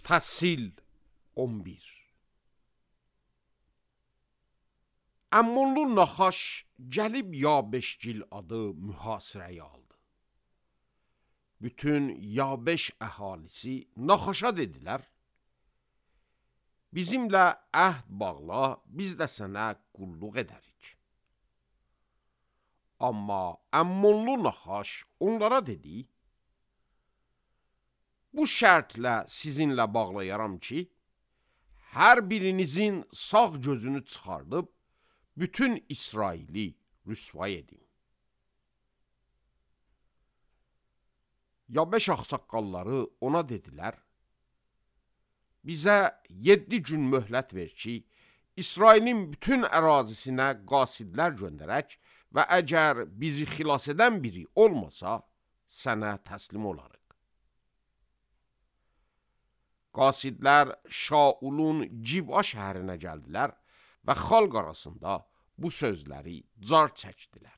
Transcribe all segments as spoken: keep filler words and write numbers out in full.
Fəsil on bir. Əmmonlu Naxaş gəlib Yabeşgil adı mühasirəyə aldı. Bütün Yabeş əhalisi Naxaşa dedilər, bizimlə əhd bağla, biz də sənə qulluq edərik. Amma Əmmonlu Naxaş onlara dedi, bu şərtlə sizinlə bağlayaram ki, hər birinizin sağ gözünü çıxardıb, bütün İsraili rüsvay edin. Yabeş ağsaqqalları ona dedilər, bizə yeddi gün möhlət ver ki, İsrailin bütün ərazisinə qasidlər göndərək və əgər bizi xilas edən biri olmasa, sənə təslim olarıq. Qasidlər Şaulun Ciba şəhərinə gəldilər və xalq arasında bu sözləri car çəkdilər.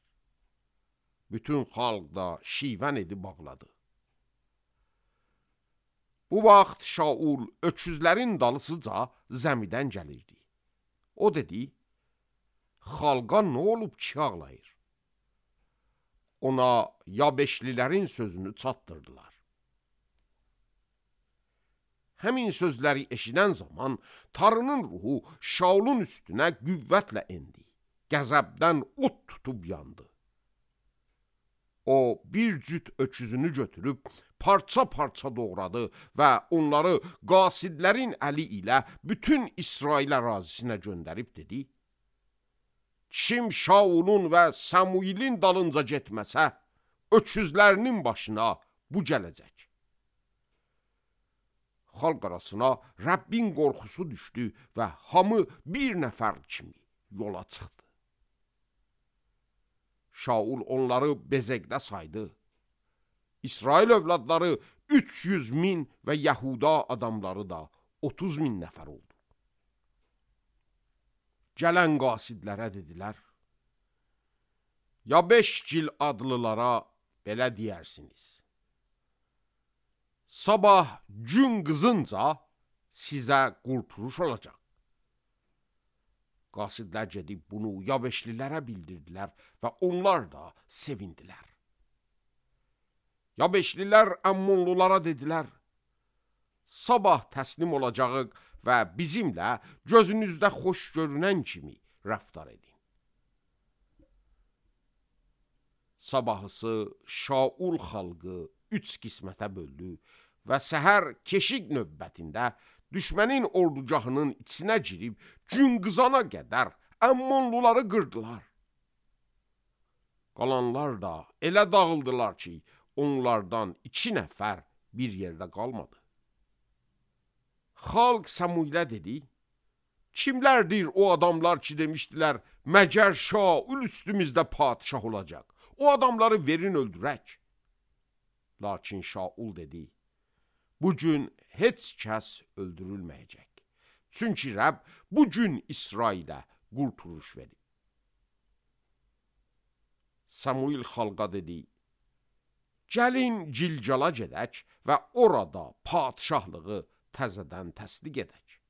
Bütün xalq da şivən edib bağladı. Bu vaxt Şaul öküzlərin dalısıca zəmidən gəlirdi. O dedi, xalqa nə olub ki ağlayır? Ona Yabeşlilərin sözünü çatdırdılar. Həmin sözləri eşidən zaman Tanrının ruhu Şaulun üstünə qüvvətlə endi. Qəzəbdən od tutub yandı. O bir cüt öküzünü götürüb parça-parça doğradı və onları qasidlərin əli ilə bütün İsrail ərazisinə göndərib dedi, kim Şaulun və Samuilin dalınca getməsə, öküzlərinin başına bu gələcək. Xalq arasına Rəbbin qorxusu düşdü və hamı bir nəfər kimi yola çıxdı. Şaul onları bezəkdə saydı. İsrail övladları üç yüz min və Yahuda adamları da otuz min nəfər oldu. Gələn qasidlərə dedilər, Yabeşgil adlılara belə deyərsiniz. Sabah gün qızınca sizə qurtuluş olacaq. Qasidlər gedib bunu Yabeşlilərə bildirdilər və onlar da sevindilər. Yabeşlilər Əmmonlulara dedilər, sabah təslim olacağıq və bizimlə gözünüzdə xoş görünən kimi rəftar edin. Sabahısı Şaul xalqı üç qismətə böldü və səhər keşik növbətində düşmənin ordugahının içinə girib gün qızana qədər Əmmonluları qırdılar. Qalanlar da elə dağıldılar ki, onlardan iki nəfər bir yerdə qalmadı. Xalq Samuilə dedi, kimlərdir o adamlar ki demişdilər, məgər Şaul üstümüzdə padişah olacaq, o adamları verin öldürək. Lakin Şaul dedi, bugün heç kəs öldürülməyəcək. Çünki Rəbb bugün İsrailə qurtuluş verib. Samuil xalqa dedi, gəlin Gilgala gedək və orada padişahlığı təzədən təsdiq edək.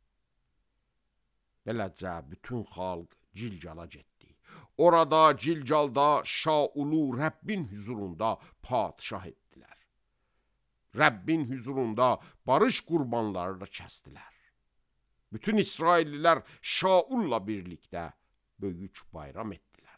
Beləcə bütün xalq Gilgala getdi. Orada Gilgalda Şaulu Rəbbin hüzurunda padişah etdilər. Rəbbin hüzurunda barış qurbanları da kəsdilər. Bütün İsraillilər Şaulla birlikdə böyük bayram etdilər.